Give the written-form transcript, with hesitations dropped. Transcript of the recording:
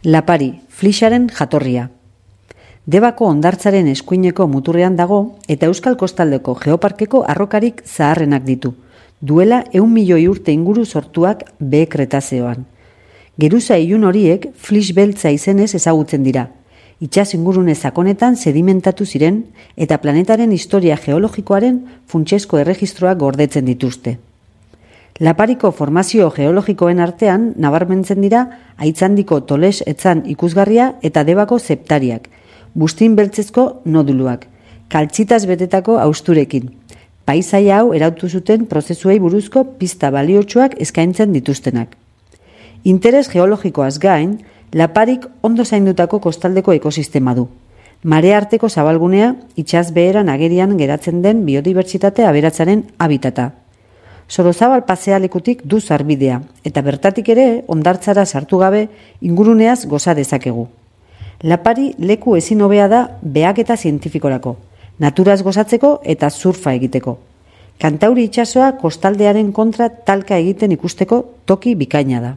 Lapari, Flixaren jatorria. Debako hondartzaren eskuineko muturrean dago eta Euskal Kostaldeko Geoparkeko arrokarik zaharrenak ditu, duela 100 milioi urte inguru sortuak behe Kretazeoan. Geruza ilun horiek Flix beltza izenez ezagutzen dira. Itsas ingurune sakonetan sedimentatu ziren eta planetaren historia geologikoaren funtsezko erregistroak gordetzen dituzte. Lapariko formazio geologikoen artean nabarmentzen dira Aitzandiko Toles etzan ikusgarria eta Debako zeptariak, bustin beltzezko noduluak, kaltzitaz betetako hausturekin. Paisaia hau erautu zuten prozesuei buruzko pista baliotsuak eskaintzen dituztenak. Interes geologikoaz gain, Laparik ondo zaindutako kostaldeko ekosistema du. Marea arteko zabalgunea, itsas beheran agerian geratzen den biodibertsitate aberatsaren habitata. Sorozabal pasealekutik du sarbidea, eta bertatik ere hondartzara sartu gabe inguruneaz goza dezakegu. Lapari leku ezin hobea da behaketa zientifikorako, naturaz gozatzeko eta surfa egiteko. Kantauri itsasoa kostaldearen kontra talka egiten ikusteko toki bikaina da.